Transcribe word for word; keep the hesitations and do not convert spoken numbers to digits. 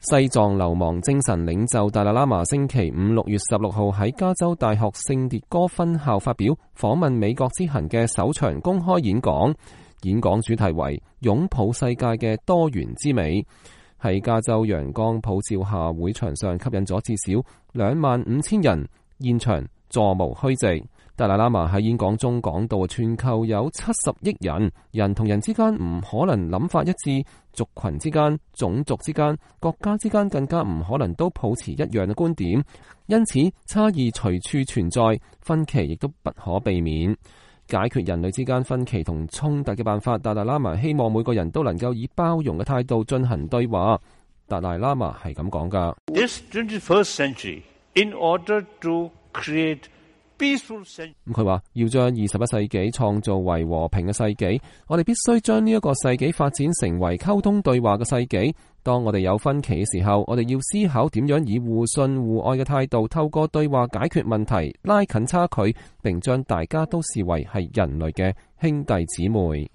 西藏流亡精神領袖達賴喇嘛星期五六月十六號喺加州大學聖迭戈分校發表訪問美國之行嘅首場公開演講，演講主題為擁抱世界嘅多元之美。喺加州陽光普照下，會場上吸引咗至少兩萬五千人，現場座無虛席。達賴喇嘛喺演講中講到，全球有七十億人，人同人之間唔可能諗法一致，族群之間、種族之間、國家之間更加唔可能都抱持一樣嘅觀點，因此差異隨處存在，分歧亦都不可避免。解決人類之間分歧同衝突嘅辦法，達賴喇嘛希望每個人都能夠以包容嘅態度進行對話。達賴喇嘛係咁講噶。This twenty-first century, in order to create咁佢話要將二十一世紀創造為和平嘅世紀，我哋必須將呢一個世紀發展成為溝通對話嘅世紀。當我哋有分歧嘅時候，我哋要思考點樣以互信互愛嘅態度，透過對話解決問題，拉近差距，並將大家都視為係人類嘅兄弟姊妹。